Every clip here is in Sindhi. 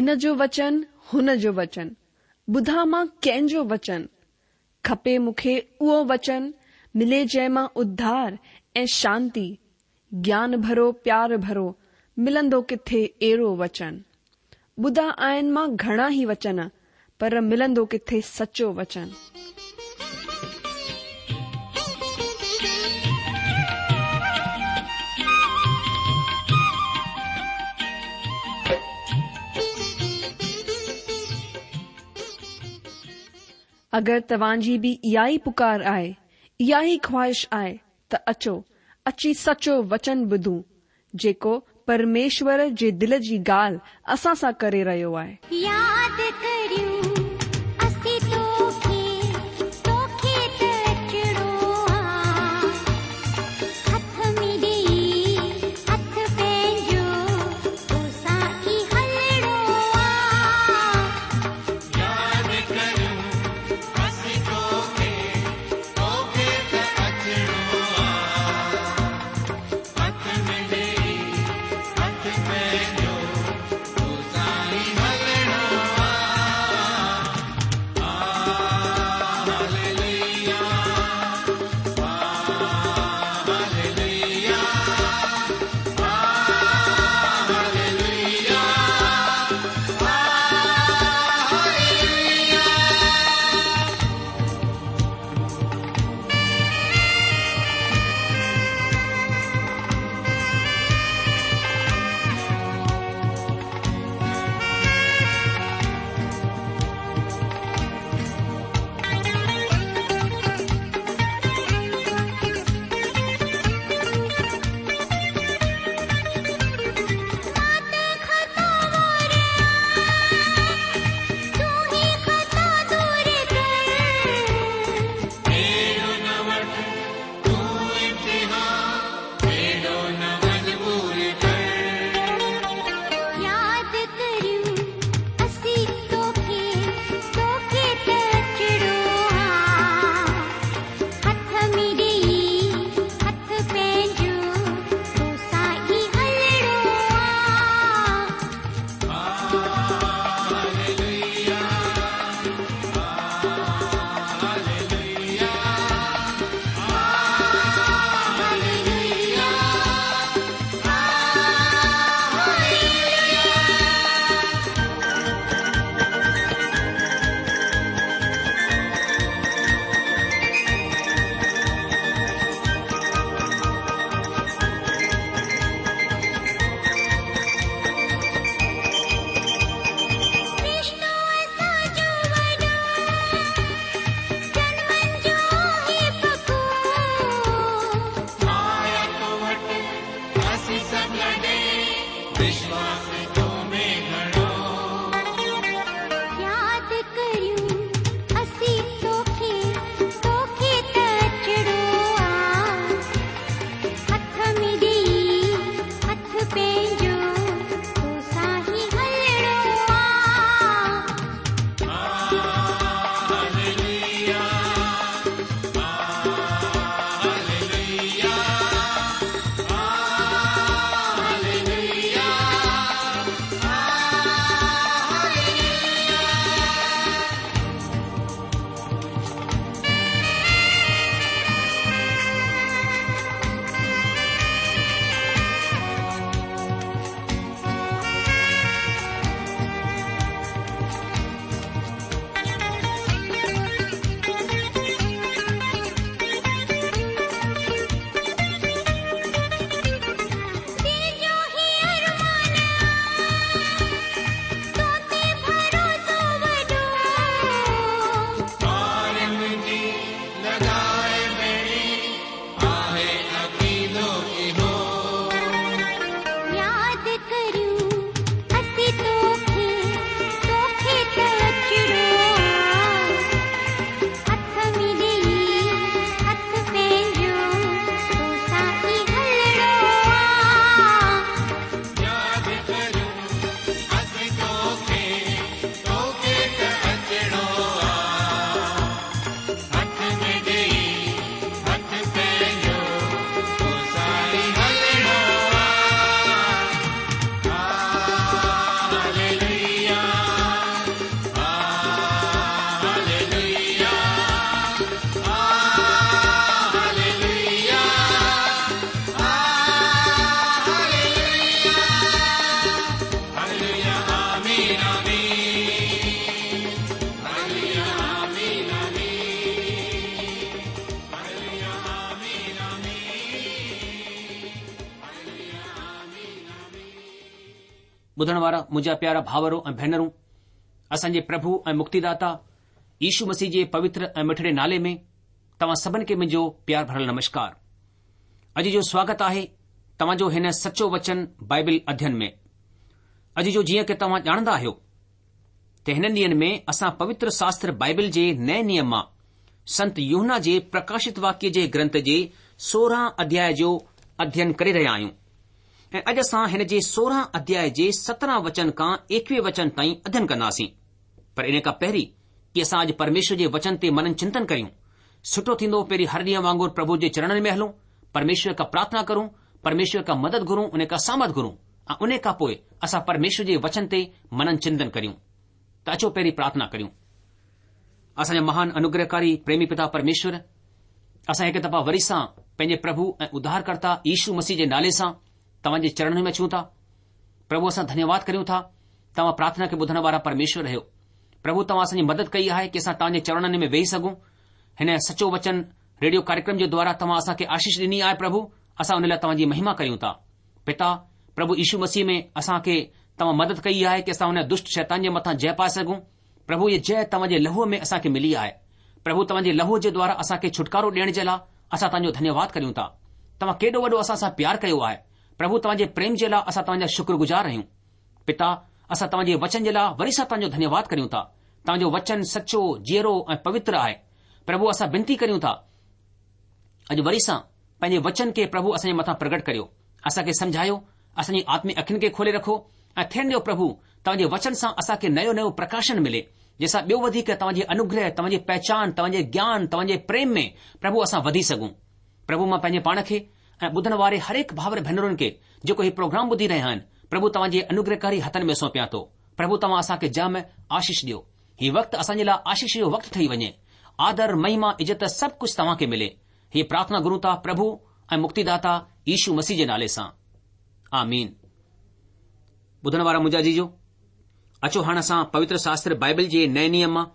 هن جو وچن، هن جو وچن، ٻڌان مان ڪنهن جو وچن؟ کپي مون کي اهو وچن، ملي جنهن مان اڌار ۽ شانتي، گيان ڀرو پيار ڀرو، ملندو ڪٿي اهڙو وچن؟ ٻڌا آهن مان گهڻا ئي وچن، پر ملندو ڪٿي سچو وچن؟ اگر توهان جي به اها ئي پڪار آهي، اها ئي خواهش آهي ته اچو، اچي سچو وچن ٻڌون، جيڪو پرميشور جي دل جي ڳالهه اسان سان ڪري رهيو آهي. ياد ڪريون اسين توکي، توکي ته اچڻو آ. هٿ ۾ ڏيئي هٿ پنهنجو، توسان ئي هلڻو آ. ياد ڪريون اسين توکي، توکي ته اچڻو آ. هٿ ۾ ڏيئي هٿ پنهنجو، توسان ئي هلڻو آ. آمين آمين هللويا آمين آمين هللويا آمين آمين هللويا آمين آمين. ٻڌڻ وارا منهنجا پيارا ڀاورو ۽ ڀينرون، اسان جي پرڀو ۽ مڪتيداتا يشو مسيح جي پوتر ۽ مٺڙي نالي ۾ توهان سڀن کي منهنجو پيار ڀريل نمشڪار. اڄ جو سواگت آهي توهان جو هن سچو وچن بائبل اڌين ۾. اڄ جو جيئن ڪه توهان ڄاڻندا آهيو ته هنن ڏينهن ۾ اسان پوتر شاستر بائبل جي نئين نيم مان سنت يوحنا جي پرڪاشت واڪيه جي گرنٿ جي 16 اڌياء جو اڌين ڪري رهيا آهيون ۽ اڄ اسان هن جي 16 اڌياء جي 17 وچن کان 21 وچن تائين اڌين ڪنداسين. پر ان کان پهرين ڪي اسان اڄ پرميشور جي وچن تي منن چنتن ڪريون، سٺو ٿيندو پهرين هر ڏينهن وانگر پرڀو جي چرڻن ۾ هلون، پرميشور کان پرارٿنا ڪرون، پرميشور کان مدد گهرون، ان کان سامرٿ گهرون ۽ ان کان پوء اسان پرميشور جي وچن تي منن چنتن ڪريون. ته اچو پهرين پرارٿنا ڪريون. اسان جا مهان انوگرهڪاري پريمي پتا پرميشور، اسان هڪ دفعا وري سان پنهنجي پرڀو ۽ اڌارڪرتا يشو مسيح جي نالي سان توهان جي چرڻن ۾ اچون ٿا. پرڀو اسان ڌنيواد ڪريون ٿا، توهان پرارٿنا کي ٻڌڻ وارا پرميشور آهيو. پرڀو توهان اسان جي مدد ڪئي آهي ڪي اسان توهان جي چرڻن ۾ ويهي سگهون. هن سچو وچن ريڊيو ڪاريڪرم جي دوارا توهان اسان کي آشيش ڏني آهي پرڀو اسان ان لاء توهان جي مهما ڪريون ٿا. پتا، پرڀو يشو مسيح ۾ اسان کي توهان مدد ڪئي آهي ڪي اسان هن دشٽ شيطان جي مٿان جئه پائي سگهون. پرڀو هيء جئه توهان جي لهوء ۾ اسان کي ملي آهي. پرڀو توهان جي لهوء جي دوارا اسان کي ڇوٽڪارو ڏيڻ جي لاء اسان توهان جو ڌنيواد ڪريون ٿا. توهان ڪيڏو وڏو اسان سان پيار ڪيو آهي. پرڀو توهان جي پريم جي لاء اسان توهان جا شڪرگذار آهيون. پتا، اسان توهان جي وچن جي لاء وري سان توهان جو ڌنيواد ڪريون ٿا. توهان جو وچن سچو، جيئرو ۽ پوتر آهي. پرڀو اسان بنتي ڪريون ٿا، اڄ وري سان پنهنجي وچن کي پرڀو اسان جي مٿان پرگٽ ڪريو. اسان کي سمجهايو، اسان جي آتمڪ اکين کي کولي رکو ۽ ٿيڻ ڏيو پرڀو توهان جي وچن سان اسان کي نيو نيو پرڪاشن ملي، جنهن سان ٻيو وڌيڪ توهان جي انوگره، توهان جي پهچان، توهان جي گيان، توهان جي پريم ۾ پرڀو اسان وڌي سگهون. پرڀو مان پنهنجي پاڻ کي ۽ ٻڌڻ واري هرهڪ ڀائر ڀينرن کي جيڪو هي پروگرام ٻڌي رهيا آهن، پرڀو توهان جي انوگرهڪاري هٿن ۾ سونپيان ٿو. پرڀو توهان اسان کي جام آشيش ڏيو. هي وقت اسان جي لاء آشيش جو وقت ٺهي وڃي. آدر، مهما، عزت سڀ ڪجهه توهان کي ملي. هيء پرارٿنا گهرون ٿا پرڀو ۽ مڪتيداتا يشو مسيح جي نالي سان. آمين. ٻڌڻ وارا منهنجا عزيزو، اچو هاڻ اسان پوتر شاستر بائبل جي نئين نيم مان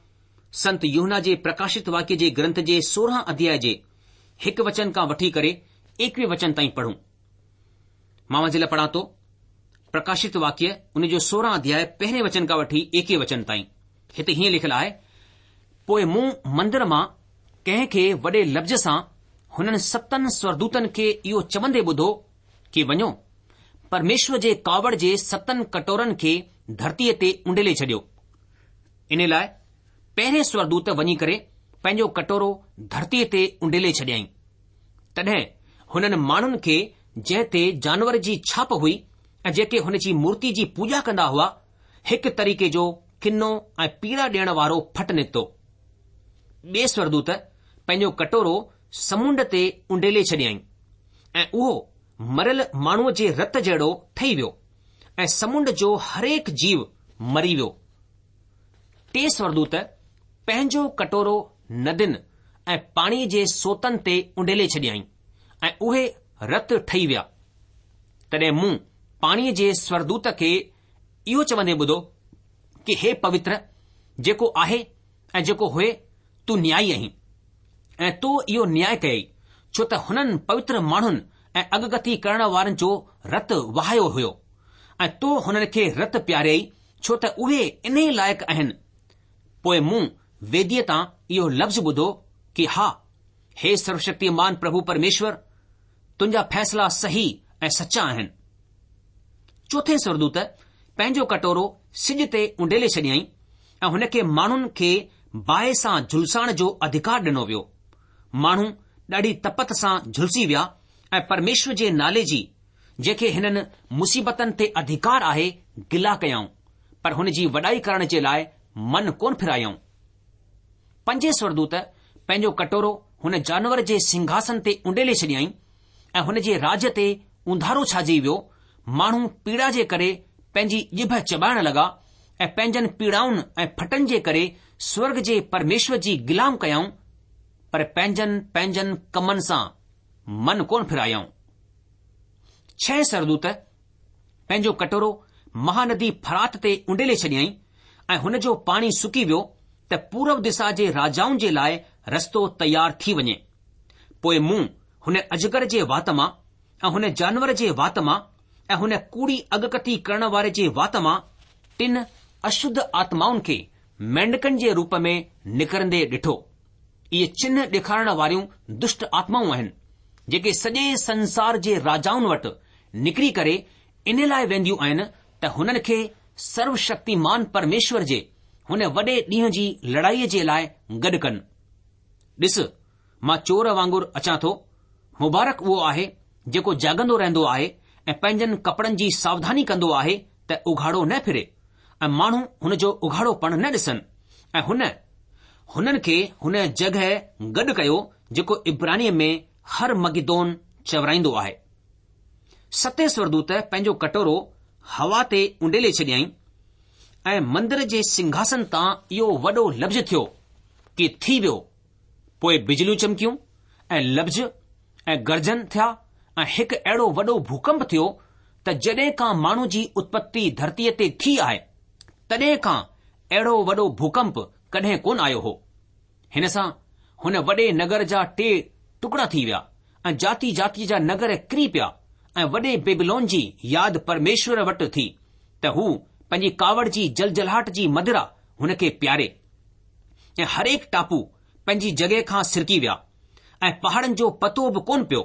سنت يوحنا جي پرڪاشت واڪيه جي گرنٿ جي 16 اڌياء جي هڪ وچن کان وٺي ڪري ايڪويهه وچن تائين پڙهون. مان اوهان جي لاء پڙهان ٿو، پرڪاشت واڪيه ان جو 16 اڌياء پهرين وچن کان وٺي ايڪويهه وچن تائين. هتي هيئن لکيل آهي، پوء مون مندر مان ڪنهن کي وڏي لفظ سان هنن ستن سورگدوتن کي اهو چوندي ٻڌو ڪي وڃو، پرميشور جي ڪاوڙ جي ستن ڪٽورن کي ڌرتيء تي اونڊيلي ڇڏيو. ان لاء پهرين سورگدوت وڃي ڪري پنهنجو ڪٽورو ڌرتيء تي اونڊيلي ڇڏيائين. تڏهن هنن ماڻهن کي جنهن تي جانور جي ڇاپ هئي ۽ جيڪي هن جي مورتي جي پوڄا ڪندا هئا، هڪ طريقي جو ڪنو ۽ پيڙا ڏيڻ وارو ڦٽ نڪتو. ٻئي سورگدوت پنهنجو ڪٽورو سمنڊ تي اونڊيلي ڇڏيائين ۽ اهو مريل ماڻهوء جي رت جهڙو ٺهي ويو ۽ سمنڊ جو هرهڪ جيو مري ويو. ٽئين سورگدوت پنهنجو ڪٽورو ندين ۽ پاڻيء جي سوتن تي اونڊيلي ڇڏيائين ۽ اهي رت ٺهي ويا. تڏهن مون پاڻيء جي سورگدوت کي اهو چوندي ٻڌو ڪي هي پوتر، جيڪو آهي ۽ جيڪو هئي، تون نيائي آهين ۽ تو اهو نياء ڪيئي، ڇو ته هنن پوتر ماڻهن ۽ اڳڪٿي ڪرڻ وارن جو رت وهايو هيو ۽ تو هنن کي رت پياريئي، ڇو ته اهي انهي لائق آهن. پوء مون ويديء تان اهو لفظ ٻڌو ڪي ها، هي سروشڪتيمان پرڀو پرميشور، تنهنجا فيصلا صحيح ۽ سچا آهن. چوٿين سورگدوت پنهنجو ڪٽورو سج تي اونڊيلي ڇڏيائين ۽ هن کي ماڻهن کي باهه سان جهلسائڻ جو اڌڪار ڏنو ويو. ماڻهو ڏاڍي تپت سان جهلسي ويا ۽ پرميشور جي نالي جي، جنهن کي هنن مصيبتن تي اڌڪار آهي، گلا ڪيائون، پر هن جي وڏائي ڪرڻ جي لاء من ڪونه ڦيرايائون. پنجين سورگدوت پنهنجو ڪٽورو هن جانور جي سنگهاسن تي اونڊيلي ڇڏيائين ۽ هن جي راڄ تي اونڌارو ڇائجي ويو، ماڻهو پيڙا جي ڪري پنهنجي ڄڀ چٻائڻ لڳا ۽ پنهنجن پيڙائن ۽ ڦٽن جي ڪري سورڳ جي پرميشور جي گلا ڪيائون، پر پنهنجن پنهنجن ڪمن سان من ڪونه ڦيرايائون. ڇهين سورگدوت پنهنجو ڪٽورو مهاندي فرات تي اونڊيلي ڇڏيائين ۽ هن جو پاڻي سڪي ويو ته پورب دسا جي راجائن جي لاء رستو تيار ٿي وڃي. پوء مون هن اجگر جي وات مان ۽ هن جانور جي وات مان ۽ هن ڪوڙي اڳڪٿي ڪرڻ واري جي وات مان ٽن اشڌ آتمائن کي مينڍڪن جي روپ ۾ نڪرندي ڏٺو. اهي چنهه ڏيکارڻ واريون دشٽ آتمائون آهن، جيڪي سڄي سنسار جي راجائن وٽ نڪري ڪري ان لاء وينديون آهن ته هنن کي سروشڪتيمان پرميشور جي هن وڏي ڏينهن جي لڙائيء جي لاء گڏ ڪن. ڏس، مان چور وانگر اچان ٿو. مبارڪ اهو آهي جيڪو جاڳندو رهندو آهي ۽ پنهنجن ڪپڙن جي ساوڌاني ڪندو آهي ته اگهاڙو نه ڦري ۽ ماڻهو هن جو اگهاڙوپڻ نه ڏسن. ۽ هن هنن کي هن جڳهه گڏ ڪيو جيڪو عبرانيء ۾ هرمگدون چورائيندو آهي. ستين سورگدوت پنهنجو ڪٽورو هوا تي اونڊيلي ڇڏيائين ۽ مندر جي سنگهاسن تان اهو وڏو لفظ ٿيو ڪي ٿي ويو. پوء بجليون چمڪيون ۽ لفظ ۽ گرجن ٿيا ۽ هڪ اهڙو وڏو ڀوڪمپ ٿيو ته جڏهن کان ماڻهو جي اتپتي ڌرتيء تي ٿي آهي، تڏهن کان اهڙو وڏو ڀوڪمپ ڪڏهن ڪونه آيو هو. هن سان هن وڏي نگر جا ٽي ٽڪڙا ٿي ويا ۽ جاتي جاتيء جا نگر ڪري پيا ۽ وڏي بيبلون جي ياد پرميشور وٽ ٿي ته هو پنهنجي ڪاوڙ جي جلجلاهٽ جي مدرا هن کي پياري ۽ هرهڪ ٽاپو پنهنجي جڳهه کان سرڪي ويا ۽ پهاڙن جو پتو به ڪونه پيو.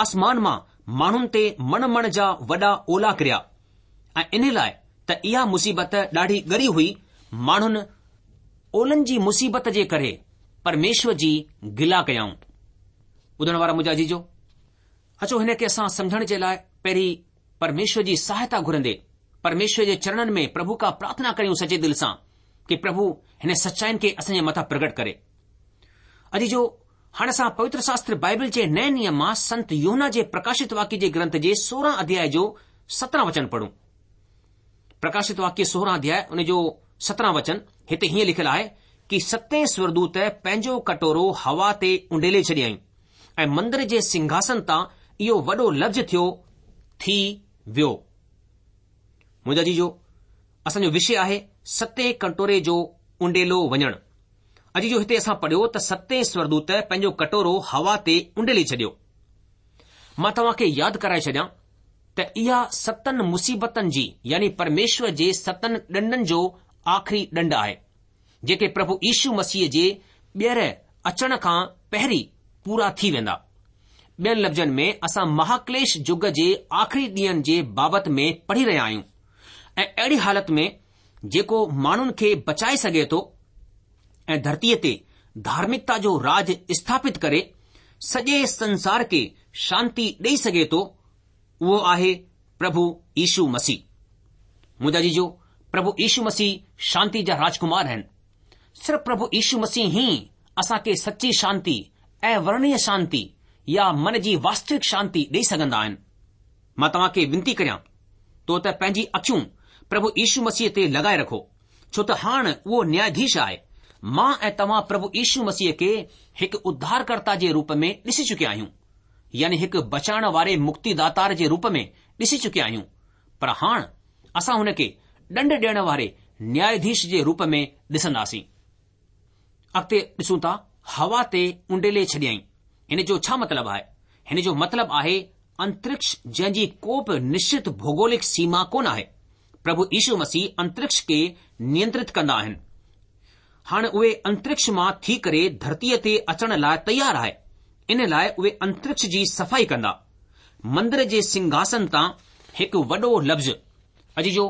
آسمان مان ماڻهن تي مڻ مڻ جا وڏا اولا ڪريا ۽ انهي لاء ته اها مصيبت ڏاڍي ڳري هئي، ماڻهن اولن جي مصيبت جي ڪري پرميشور جي گلا ڪيائون. ٻڌڻ وارا منهنجا عزيزو، اچو هن کي اسان سمجهڻ جي لاء پهرين پرميشور جي سهائتا گهرندي پرميشور جي چرڻن ۾ پرڀو کان پرارٿنا ڪريون سچي دل سان ڪي پرڀو هن سچائين کي اسان جي مٿان پرگٽ ڪري. عزيزو، هاڻ اسان پوتر شاستر بائبل جي نئين نيم مان سنت يوحنا جي پرڪاشت واڪيه جي گرنٿ جي 16 اڌياء جو 17 وچن پڙهون. پرڪاشت واڪيه 16 اڌياء ان جو 17 وچن هتي هيئن لکيل آهي ڪي ستين سورگدوت پنهنجو ڪٽورو هوا تي اونڊيلي ڇڏيائين ۽ مندر جي سنگهاسن تان اهو وڏو لفظ ٿيو ٿي ويو. منهنجا عزيزو، اسان جو وشي آهي ستين ڪٽوري جو اونڊيلو وڃڻ. عزيزو هتي اسان پڙهيو ته ستين سورگدوت پنهنجو ڪٽورو هوا تي اونڊيلي ڇڏيو. مان توهان کي ياد ڪرائي ڇڏيان ته اها ستن مصيبتن جي يعني پرميشور جي ستن ڏنڊن جو آخري ڏنڊ آهي، جيڪي پرڀو يشو مسيح جي ٻيهر اچڻ کان پهرين پورا ٿي ويندا. ٻين لفظن ۾ اسان مهاڪليش يگ جي آخري ڏينهن جي بابت ۾ پڙهي رهيا آهيون ۽ اهڙي حالت ۾ جيڪو ماڻهن کي بچائي سگهي ٿو ۽ ڌرتيء تي ڌارمڪتا جو راج اسٿاپت ڪري سڄي سنسار کي شانتي ڏئي سگهي ٿو، اهو آهي پرڀو يشو مسيح. منهنجا عزيزو، پرڀو يشو مسيح شانتي جا راجڪمار آهن. صرف پرڀو يشو مسيح ئي اسان کي سچي شانتي اورڻيه شانتي يا من جي واستوڪ شانتي ڏئي سگهندا آهن. مان توهان کي وينتي ڪريان ٿو ته پنهنجي اکيون پرڀو يشو مسيح تي لڳائي رکو، ڇو ته هاڻ اهو نياياڌيش آهي. مان ۽ توهان پرڀو يشو مسيح کي هڪ اڌارڪرتا جي روپ ۾ ڏسي چڪيا آهيون، يعني هڪ بچائڻ واري مڪتيداتار جي روپ ۾ ڏسي چڪيا آهيون، پر هاڻ اسان هن کي ڏنڊ ڏيڻ واري نياياڌيش جي روپ ۾ ڏسنداسين. اڳتي ڏسون ٿا هوا تي اونڊيلي ڇڏيائين. هن جو ڇا مطلب آهي؟ هن جو مطلب آهي انترڪش جنهن جي ڪو به نشچت ڀوڳولڪ سيما ڪونه آهي. پرڀو يشو مسيح انترڪش کي نينترت ڪندا آهن. هاڻ اهي انترڪش مان ٿي ڪري ڌرتيء تي اچڻ لاء تيار آهي. ان لاء اهي انترڪش جي صفائي ڪندا. مندر جي سنگهاسن تان هڪ وڏو لفظ، عزيزو،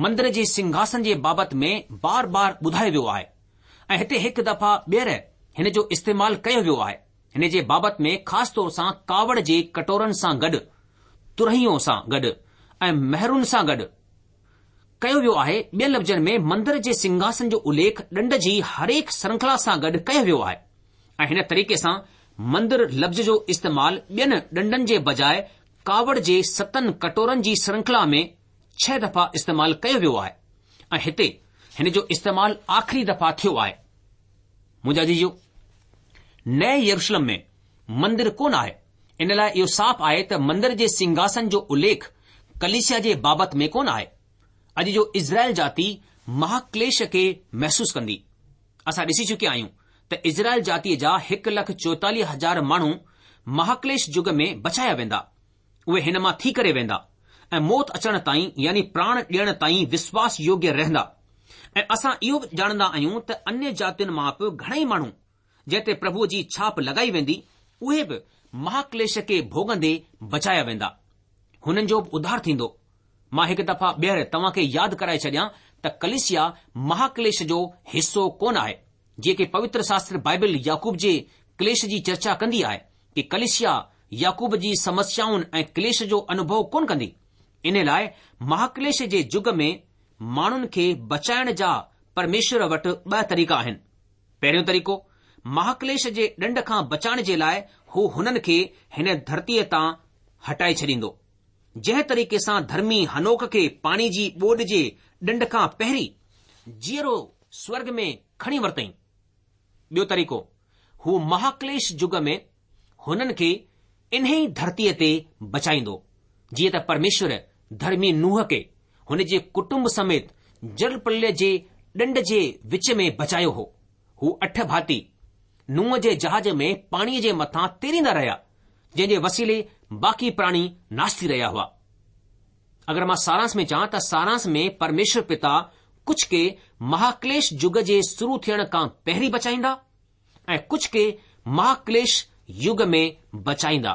مندر جي سنگهاسن جي بابت ۾ بار بار ٻڌايو ويو آهي ۽ هتي هڪ دفعا ٻيهر هن جو استعمال ڪيو ويو آهي. هن جي بابت ۾ خاص طور سان ڪاوڙ جي ڪٽورن سان گڏ، ترهيون سان گڏ ۽ مهرن سان گڏ ڪيو ويو آهي. ٻين لفظن ۾ مندر جي سنگهاسن جو اليک ڏنڊ جي هرهڪ شرنکلا سان گڏ ڪيو ويو آهي ۽ هن طريقي سان مندر لفظ جو استعمال ٻين ڏنڊن جي بجاء ڪاوڙ جي ستن ڪٽورن جي شرنکلا ۾ ڇهه دفعا استعمال ڪيو ويو آهي ۽ هتي هن جو استعمال آخري دفعا ٿيو آهي. منهنجا عزيزو، نئين يروشلم ۾ مندر ڪونه آهي، ان لاء اهو صاف آهي ته مندر جي سنگهاسن جو اليک ڪليسيا جي بابت ۾ ڪونه آهي. اڄ جو اسرائيل جاتي مهاڪليش کي محسوس ڪندي. اسان ڏسي چڪيا آهيون ته اسرائيل جاتيء جا 1,44,000 ماڻهو مهاڪليش يگ ۾ بچايا ويندا. اهي هن مان ٿي ڪري ويندا ۽ موت اچڻ تائين يعني پراڻ ڏيڻ تائين وشواس يوگيه رهندا. ۽ اسان اهو به ڄاڻندا آهيون ته انيه جاتين مان به گهڻئي ماڻهو جنهن تي پرڀوء جي ڇاپ لڳائي ويندي، اهي به مهاڪليش کي ڀوڳندي بچايا ويندا. هنن جو به اڌار ٿيندو. مان هڪ دفعا ٻيهر توهان کي ياد ڪرائي ڇڏيان ته ڪليسيا مهاڪليش جو حصو ڪونه آهي. جيئن ڪي پوتر شاستر بائبل يعقوب جي ڪليش جي چرچا ڪندي آهي ڪي ڪليسيا يعقوب جي سمسيائن ۽ ڪليش جو انوڀو ڪونه ڪندي. انهي لاء مهاڪليش جي يگ ۾ ماڻهن کي بچائڻ جا پرميشور وٽ ٻه طريقا آهن. پهريون طريقو، مهاڪليش جي ڏنڊ کان بچائڻ جي لاء هو هنن کي هن ڌرتيء تان هٽائي ڇڏيندو. جنهن طريقي سان ڌرمي هنوڪ کي پاڻي جي ٻوڏ جي ڏنڊ کان پهرين جيئرو سورڳ ۾ کڻي ورتئين. ٻيو طريقو، هو مهاڪليش يگ ۾ هنن کي انهيء ڌرتيء تي بچائيندو، جيئن ته پرميشور ڌرمي نوح کي هن جي ڪٽنب سميت جل پرليه جي ڏنڊ جي وچ ۾ بچايو هو. هو اٺ ڀاتي نوح جي جهاز ۾ پاڻيء جي مٿان تيريندا رهيا، جنهن جي وسيلي باقي پراڻي ناش ٿي رهيا هئا. اگر مان سارانس ۾ چوان ته سارانس ۾ پرميشور پتا ڪجهه کي مهاڪليش يگ جي شروع ٿيڻ کان پهرين بچائيندا ۽ ڪجهه کي مهاڪليش يگ ۾ بچائيندا.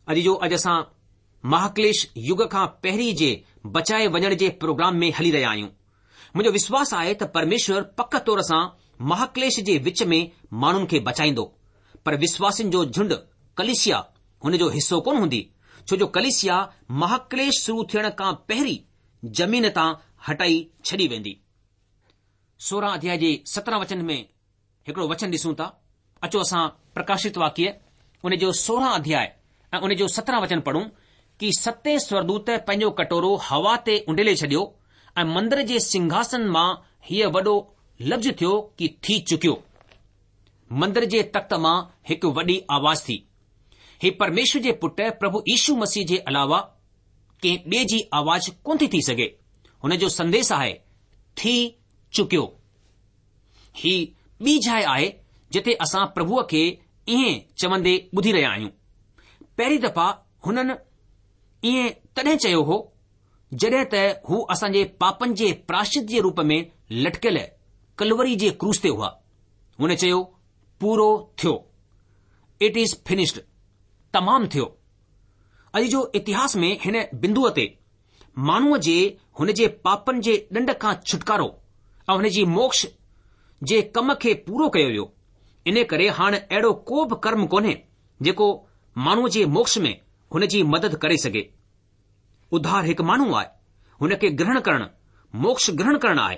اڄ جو اڄ اسان مهاڪليش يگ کان پهرين جي بچائي وڃڻ جي پروگرام ۾ هلي رهيا آهيون. منهنجو وشواس آهي ته پرميشور پڪ طور سان مهاڪليش جي وچ ۾ ماڻهن کي بچائيندو، پر وشواسين جو جهنڊ، ڪليسيا، هن جو حصو ڪونه هوندي، ڇو جو ڪليسيا مهاڪليش شروع ٿيڻ کان پهرين زمين تان هٽائي ڇڏي ويندي. 16 اڌياء جي 17 وچن ۾ هڪڙو وچن ڏسون ٿا. اچو اسان پرڪاشت واڪيه ان جو 16 اڌياء ۽ ان جو 17 وچن پڙهون ڪي ستين سورگدوت پنهنجو ڪٽورو هوا تي اونڊيلي ڇڏيو ۽ مندر جي سنگهاسن مان هيء وڏو لفظ ٿيو ڪي ٿي چڪيو. مندر جي تخت مان هڪ وڏي آواز ٿي. هي پرميشور جي پٽ پرڀو يشو مسيح جي علاوه ڪنهن ٻئي جي آواز ڪونه ٿي ٿي سگهي. هن جو سنديش آهي ٿي چڪيو. هي ٻي جاء آهي جتي اسان پرڀوء کي ائين چوندي ٻڌي رهيا آهيون. پهرين دفعا هنن ائين تڏهن چيو هو جڏهن ته هو اسان جي پاپن جي پراشچت جي روپ ۾ لٽڪيل ڪلوري جي ڪروس تي هئا. هن چيو پورو ٿيو. It is finished. تمام ٿيو. اڄ جو اتهاس ۾ هن بندوء تي ماڻهوء جي هن جي پاپن جي ڏنڊ کان ڇٽڪارو ۽ هن جي موڪش جي ڪم کي پورو ڪيو ويو. انهي ڪري هاڻ اهڙو ڪو به ڪرم ڪونهي جيڪو ماڻهوء جي موڪش ۾ هن جي مدد ڪري سگهي. اڌار هڪ ماڻهو آهي، هن کي گرهڻ ڪرڻ موڪش گرهڻ ڪرڻ آهي.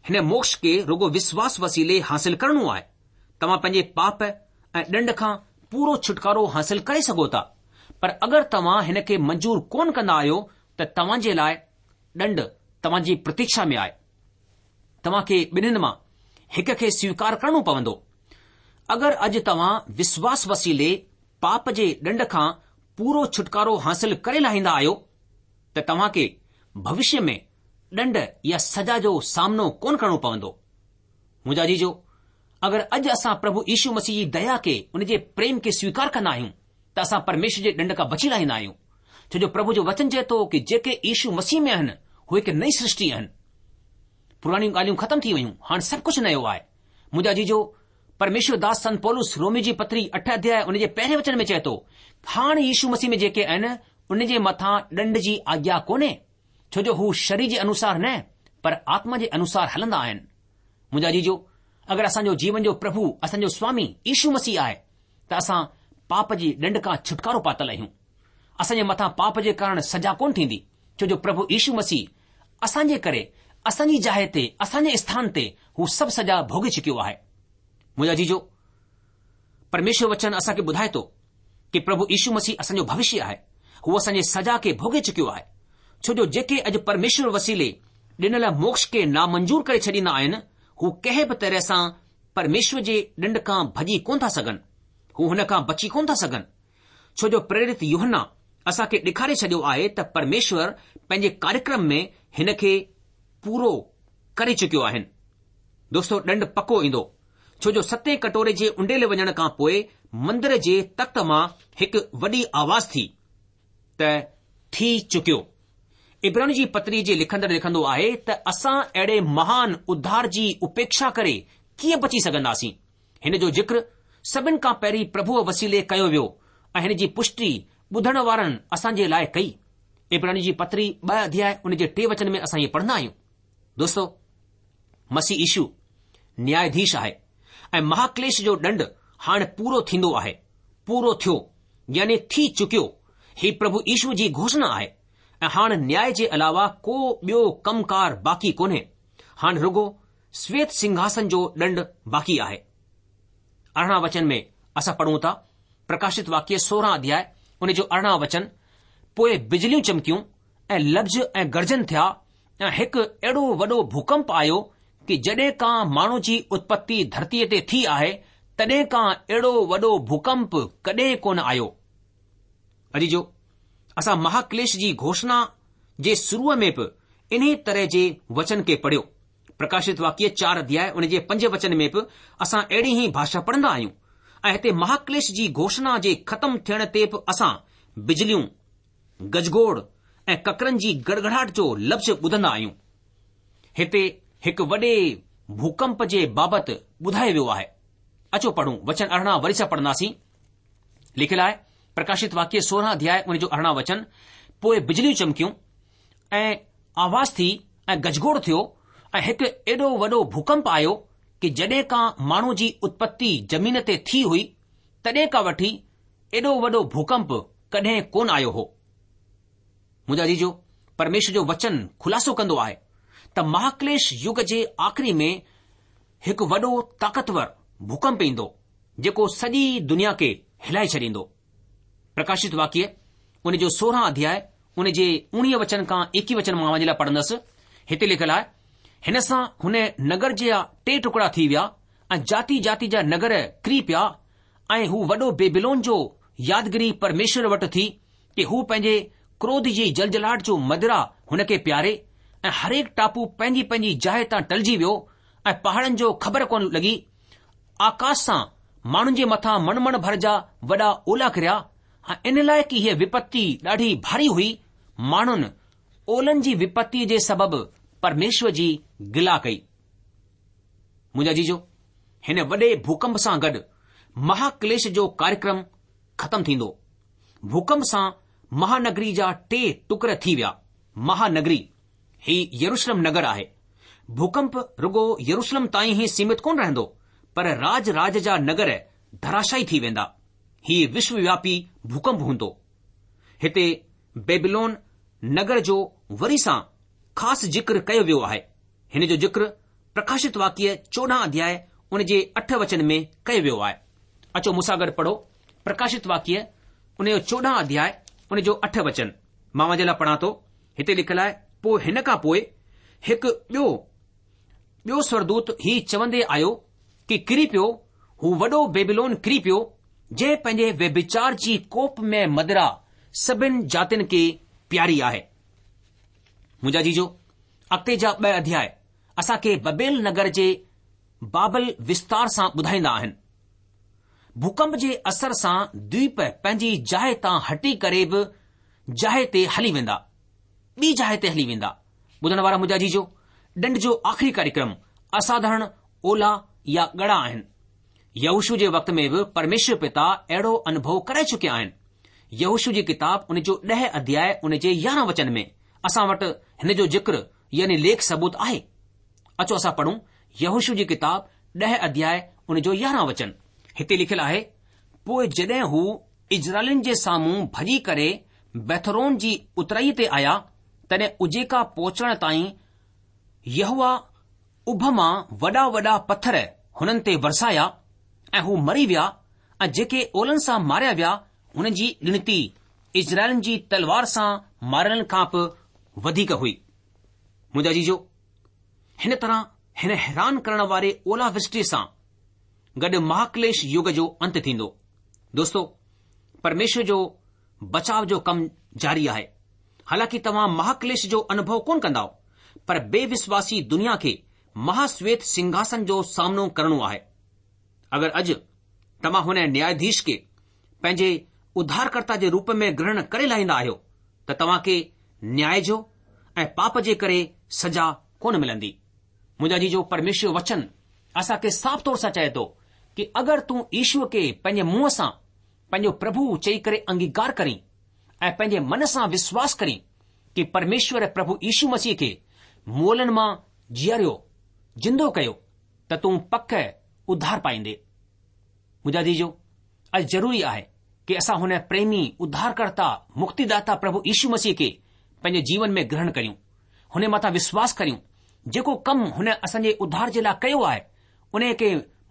هن موڪش کي رڳو وشواس وسيلي حاصل ڪرڻو آهي. توهان پنهنجي پاپ ۽ ڏنڊ کان پورو ڇٽڪارو حاصل ڪري سگهو ٿا، پر اگر توهان هن کي منظور ڪونه ڪندا آهيو ته توهان جي لاء ڏنڊ توهان جي پرتيڪشا ۾ آهي. توهان کي ٻنهين مان هڪ کي سويڪار ڪرڻو پوندو. اگر اڄ توهان وشواس وسيلي پاپ جي ڏنڊ کان پورو ڇٽڪارو حاصل ڪري لاهيندا آهيو ته توهان کي ڀوشيه ۾ ڏنڊ يا سزا جو سامنو ڪونه ڪرڻو پوندو. منهنجا عزيزو، اگر اڄ اسان پرڀو يشو مسيح جي ديا کي، ان جي پريم کي سويڪار ڪندا آهيون ته اسان پرميشور جي ڏنڊ کان بچي لاهيندا آهيون. ڇو جو پرڀو جو وچن چئي ٿو ڪي جيڪي يشو مسيح ۾ آهن، هو هڪ نئين سرشٽي آهن. پراڻيون ڳالهيون ختم ٿي ويون، هاڻ سڀ ڪجهه نيو آهي. منهنجا عزيزو، پرميشور داس سنت پولس روميو جي پتري اٺ اڌياء ان جي پهرين وچن ۾ چئي ٿو، هاڻ يشو مسيح ۾ جيڪي آهن، ان جي مٿان ڏنڊ جي آگيا ڪونهي. ڇو جو هو شرير جي انوسار نه پر آتما جي انوسار هلندا آهن. منهنجا عزيزو، اگر اسان جو جيون جو پرڀو، اسان جو سوامي يشو مسيح آهي ته اسان پاپ جي ڏنڊ کان ڇٽڪارو پاتل آهيون. اسان جي مٿان پاپ جي ڪارڻ سزا ڪونه ٿيندي، ڇو جو پرڀو يشو مسيح اسان جي ڪري، اسان جي جاء تي، اسان جي اسٿان تي هو سڀ سزا ڀوڳي چڪيو آهي. منهنجا عزيزو، پرميشور وچن اسان کي ٻڌائي ٿو ڪي پرڀو يشو مسيح اسان جو ڀوشيه آهي. هو اسان جي سزا کي ڀوڳي چڪيو آهي. ڇو جو جيڪي اڄ پرميشور وسيلي ڏنل موڪش کي نامنظور ڪري ڇڏيندا آهن، هو ڪنهن به طرح سان پرميشور جي ڏنڊ کان ڀڄي ڪونه ٿا سگهن. هو هن کان بچي ڪونه ٿا سگهن. ڇو جو پريرت يوحنا اسان کي ڏيکاري ڇڏيو آهي ته پرميشور پنهنجي ڪاريڪرم ۾ هن کي پورو ڪري چڪيو آهن. دوستو ڏنڊ پڪو ايندو، ڇو جو ستين ڪٽوري جي اونڊيلي وڃڻ کان پوء مندر جي تخت مان هڪ وڏي آواز ٿي ته ٿي چڪيو. عبراني جي پتري جي لکندڙ لکندو آهي ته اسان اهڙي مهان اڌار جي اپيڪشا ڪري ڪيئن بچي سگهنداسين؟ هن جو ذڪر سڀن کان پهرين پرڀوء وسيلي ڪيو ويو ۽ هن جي پشٽي ٻڌڻ وارن اسان جي لاء ڪئي. عبراني جي پتري ٻه اڌياء ان جي ٽي وچن ۾ اسان ائين پڙهندا آهيون. دوستو! مسيح يشو نياياڌيش آهي ۽ مهاڪليش جو ڏنڊ هاڻ پورو ٿيندو آهي. پورو ٿيو يعني ٿي چڪيو. هي پرڀو يشو جي گهوشڻا آهي ۽ هاڻ نياء جي علاوه ڪو ٻيو ڪم ڪار باقي ڪونهي. هاڻ رڳو شويت سنگهاسن جو ڏنڊ باقي آهي. ارڙهن وچن ۾ اسان پڙهون ٿا، پرڪاشت واڪيه 16 اڌياء ان جو 18 وچن، پوء بجليون چمڪيون ۽ لفظ ۽ گرجن ٿيا ۽ هڪ اهڙو وڏو ڀوڪمپ آيو ڪي جڏهن کان ماڻهو جي اتپتي ڌرتيء تي ٿي آهي تڏهن کان اهڙو وڏو ڀوڪمپ ڪڏهن ڪونه آيو. عزيزو! اسان مهاڪليش جي گهوشڻا جي شروع ۾ به انهي طرح جي وچن کي پڙهيو. پرڪاشت واڪيه چار اڌياء ان جي پنج وچن ۾ به اسان اهڙي ئي ڀاشا پڙهندا آهيون ۽ هتي مهاڪليش جي گهوشڻا جي ختم ٿيڻ تي به اسان بجليون، گجگوڙ ۽ ڪڪرن جي گڙگڙاهٽ جو لفظ ٻڌندا آهيون. هتي هڪ وڏي ڀوڪمپ جي بابت ٻڌايو ويو آهي. اچو پڙهون وچن 18 وري سان پڙهنداسين. لکيل آهي، پرڪاشت واڪيه 16 اڌياء ان جو 18 وچن، پوء بجليون چمڪيون ۽ آواز ٿي ۽ گجگوڙ ٿيو ۽ هڪ ايڏو وڏو ڀوڪمپ آيو ڪي جڏهن کان ماڻهو جي اتپتي زمين تي ٿي هئي تڏهن کان وٺي ايڏو وڏو ڀوڪمپ ڪڏهن ڪونه آيو هو. منهنجا عزيزو، پرميشور جو وچن خلاصو ڪندو آهي ته مهاڪليش يگ جي آخري ۾ هڪ وڏو طاقتور ڀوڪمپ ايندو جيڪو سڄي دنيا کي هلائي ڇڏيندو. پرڪاشت واڪيه ان جو 16 اڌياء ان جي اوڻيهه وچن کان ايڪيهه وچن مان اوهان جي لاء پڙهندس. هتي لکيل آهي، هن سان هن نگر جا ٽي ٽڪڙا ٿي ويا ۽ جاتي جاتي جا نگر ڪري پيا ۽ هو وڏو بيبيلون جو يادگيري پرميشور وٽ ٿي ڪي هو پنهنجي ڪروڌ جي جلجلاهٽ جو مدرا هن کي پياري ۽ هرهڪ ٽاپو پنهنجي پنهنجي جاء تان ٽلجي ويو ۽ پهاڙن جو خبر ڪونه لڳي. آڪاش سان ماڻهن جي مٿان مڻ مڻ ڀر جا وڏا اولا ڪريا ۽ ان لاء ڪي هيء وپتي ڏاڍي ڀاري هئي، ماڻهن اولن جي وپتيء جي سبب پرميشور جي گلا ڪئي. منهنجا عزيزو، هن وڏي ڀوڪمپ سان گڏ مهاڪليش جو ڪاريڪرم ختم ٿيندو. ڀوڪمپ سان مهانگري جا ٽي ٽڪر ٿي ويا. مهانگري، هي يروشلم نگر آهي. ڀوڪمپ رڳو يروشلم تائين ئي سيمت ڪونه رهندو، پر راج راج جا نگر ڌراشائي ٿي ويندا. هي وشووياپي ڀوڪمپ هوندو. هتي بيبلون نگر جو وري سان خاص ذڪر ڪيو ويو آهي. هن جو ذڪر پرڪاشت واڪيه 14 اڌياء ان جي اٺ وچن ۾ ڪيو ويو آهي. اچو مون سان گڏ پڙهو پرڪاشت واڪيه ان جو 14 اڌياء ان جو اٺ وچن. مان اوهان جي لاء پڙهان ٿو. هتي لکيل آهي، پوء هن کان پوء هڪ ٻيو ٻيو سورگدوت هي چوندي آيو ڪي ڪري پيو، هو وڏو بيبيلون ڪري پيو، جنهن پنهنجي ويڀچار جي ڪوپمئي مدرا سڀن جاتين کي پياري آهي. منهنجا عزيزو، اڳتي جا ٻه اڌياء اسان کي ببيل نگر جي بابل وستار سان ٻڌائيندا آهن. ڀوڪمپ جي اثر سان دويپ پنهنجي جاء تان هٽي ڪري به جاء تي هلي ويندا. ٻي جاء تي هلي ويندا. ٻڌڻ وارا منهنجا عزيزو، ڏنڊ جو آخري ڪاريڪرم اساڌارڻ اولا يا ڳڙا آهن. يهوشوع جي وقت ۾ به پرميشور پتا اهڙو انوڀو ڪرائي چڪيا آهن. يهوشوع جي ڪتاب ان جو ڏهه اڌياء ان جي يارهن وچن ۾ اسان وٽ هن جو ذڪر يعني ليک ثبوت آهي. اچو اسان پڙهون يهوشوع جي ڪتاب ڏهه اڌياء ان جو يارهن وچن. هتي لکيل آهي، پوء جڏهن هو اسرائيلين جي سامهون ڀڄي ڪري بيٿورون جي اترائيء تي آيا، تڏهن عزيڪا پهچڻ تائين يهوه اڀ مان وڏا وڏا پٿر هنن تي ورسايا ۽ هو مري ويا ۽ جيڪي اولن سان ماريا ويا هنن جي ڳڻتي اسرائيلين جي تلوار سان ماريلن کان به وڌيڪ هئي. منهنجا عزيزو، هن طرح هن حيران ڪرڻ واري اولا ورشٽيء سان گڏ مهاڪليش يگ جو انت ٿيندو. دوستو، پرميشور جو بچاء جو ڪم جاري آهي. حالانڪه توهان مهاڪليش جو انوڀو ڪونه ڪندائو. پر بي وسواسي دنيا کي مهاسويت سنگهاسن جو سامنو ڪرڻو آهي. اگر اڄ توهان هن نياياڌيش کي پنهنجي اڌارڪرتا جي روپ ۾ گرهڻ ڪري لاهيندا آهيو ته توهان کي نياء جو ۽ پاپ جي ڪري سزا ڪونه ملندي. منهنجا عزيزو پرميشور جو وچن اسان کي صاف طور سان چئي ٿو ڪي اگر تون يشوء کي پنهنجي منهن سان پنهنجو پرڀو چئي ڪري انگيڪار ڪرين ۽ پنهنجي من سان وشواس ڪرين ڪي پرميشور پرڀو يشو مسيح کي مئلن مان جياريو، زندو ڪيو، ته تون پڪ اڌار پائيندي. منهنجا عزيزو، اڄ ضروري آهي ڪي اسان هن پريمي، اڌارڪرتا، مڪتيداتا پرڀو يشو مسيح کي پنهنجي جيون ۾ گرهڻ ڪريون، هن مٿان وشواس ڪريون، جيڪو ڪم هن اسان جي اڌار جي لاء ڪيو آهي، ان کي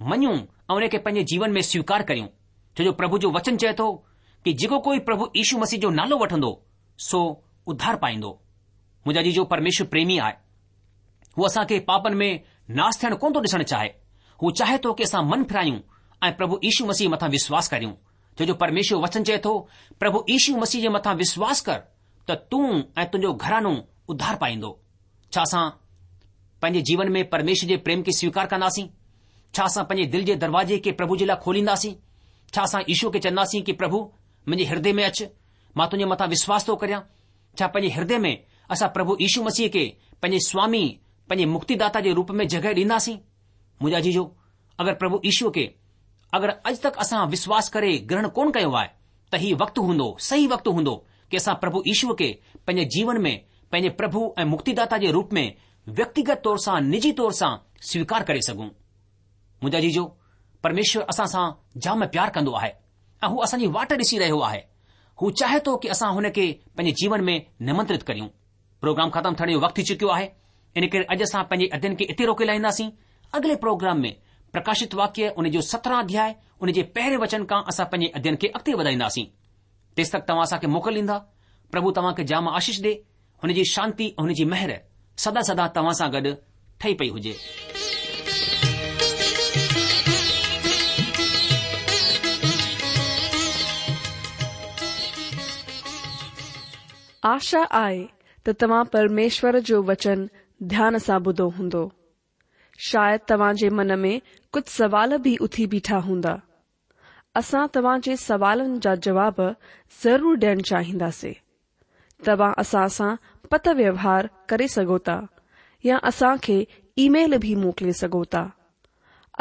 مڃون ۽ ان کي پنهنجي جيون ۾ سويڪار ڪريون، ڇو جو پرڀو جو وچن چئي ٿو ڪي جيڪو ڪوئي پرڀو يشو مسيح جو نالو وٺندو، سو اڌار پائيندو. منهنجا عزيزو پرميشور پريمي آهي. هو اسان کي پاپن ۾ ناس ٿيڻ ڪونه ٿو ڏسڻ چاهي. هو چاهي ٿو ڪي اسان من ڦرايون ۽ پرڀو يشو مسيح مٿان وشواس ڪريون. ڇو جو پرميشور وچن چئي ٿو، پرڀو يشو مسيح جي مٿان وشواس ڪر ته تون ۽ تنهنجو گهراڻو اڌار پائيندو. ڇا اسان پنهنجي جيون ۾ پرميشور جي پريم کي سويڪار ڪنداسين؟ ڇا اسان پنهنجي دل جي دروازي کي پرڀو جي لاء کولينداسين؟ ڇا اسان يشو کي چونداسين ڪي پرڀو منهنجي هردي ۾ اچ، مان تنهنجي مٿان وشواس ٿو ڪريان؟ ڇا پنهنجي هردي ۾ اسان پرڀو يشو مسيح کي پنهنجي سوامي، پنهنجي مڪتيداتا جي روپ ۾ جڳهه ڏينداسين؟ منهنجا عزيزو، اگر پرڀو يشو کي اگر اڄ تڪ اسان وشواس ڪري گرهڻ ڪونه ڪيو آهي ته هي وقت هوندو، صحيح وقت هوندو ڪي اسان پرڀو يشو کي پنهنجي جيون ۾ پنهنجي پرڀو ۽ مڪتيداتا جي روپ ۾ ويڪتيگت طور سان نجي طور سان سويڪار ڪري سگهون. منهنجا عزيزو، پرميشور اسان سان جام پيار ڪندو آهي. ۽ هو اسان جي واٽ ڏسي رهيو آهي. هو چاهي ٿو ڪي اسان هن کي پنهنجي جيون ۾ نمنترت ڪريون. پروگرام ختم ٿيڻ جو وقت ٿي چڪيو آهي، ان ڪري اڄ اسان پنهنجي اڌين کي اتي روڪي لاهينداسين. اڳلي پروگرام ۾ پرڪاشت واڪيه ان جو 17 اڌياء ان جي پهرين وچن کان اسان پنهنجي اڌين کي اڳتي وڌائينداسين. تيستڪ توهان اسان کي موڪل ڏيندا. پرڀو توهان کي جام آشيش ڏي. هن جي شانتي ۽ هن جي مهر سدا سدا توهان سان گڏ ٺهي پئي هجي. آشا آهي ته توهان پرميشور جو وچن ڌيان سان ٻڌو هوندو. شايد توهان جي من ۾ ڪجهه سوال به اٿي بيٺا هوندا. اسان توهان جي سوالن جا جواب ضرور ڏيڻ چاهينداسين. توهان اسان سان پتر ويوهار ڪري سگهو ٿا يا اسان کي اي ميل به موڪلي سگهو ٿا.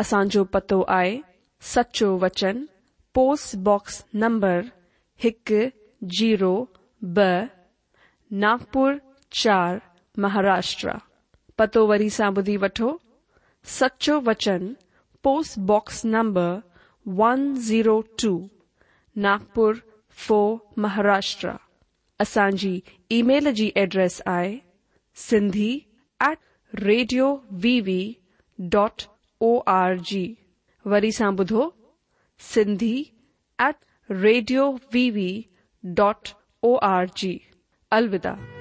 اسان جو پتو آهي سچو وچن پوسٽ باڪس نمبر هڪ زيرو ٻه ناگپور چار مهاراشٽرا. پتو وري سان ٻڌي وٺو سچو وچن post box number one zero two Nagpur four Maharashtra. اسان جي اي ميل جي ايڊريس آهي Sindhi at radio V V dot O R G وري سان ٻڌو Sindhi at radio V V dot O R G. الوداع.